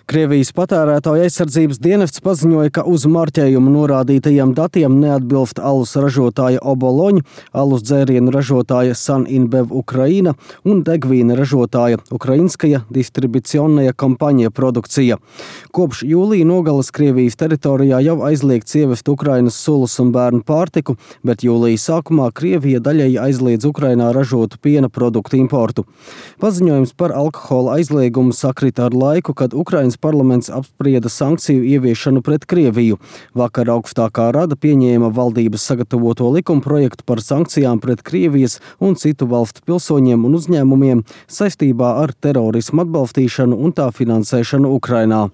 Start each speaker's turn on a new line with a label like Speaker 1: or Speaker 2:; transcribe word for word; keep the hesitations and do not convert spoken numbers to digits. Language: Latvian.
Speaker 1: Krievijas patērētāju aizsardzības dienests paziņoja, ka uz marķējumu norādītajiem datiem neatbilst alus ražotāja Oboloņa, alus dzērienu ražotāja Saninbev Ukraina un degvīna ražotāja Ukrainskaja distribucionnaja kompānija produkcija. Kopš jūlija nogalas Krievijas teritorijā jau aizliegts ievest Ukrainas sulas un bērnu pārtiku, bet jūlijas sākumā Krievija daļēji aizliedz Ukrainā ražotu piena produktu importu. Paziņojums par alkohola aizliegumu sakrita ar laiku, kad Ukrainas parlaments apsprieda sankciju ieviešanu pret Krieviju. Vakar augstākā rada pieņēma valdības sagatavoto likumprojektu par sankcijām pret Krievijas un citu valstu pilsoņiem un uzņēmumiem saistībā ar terorismu atbalstīšanu un tā finansēšanu Ukrainā.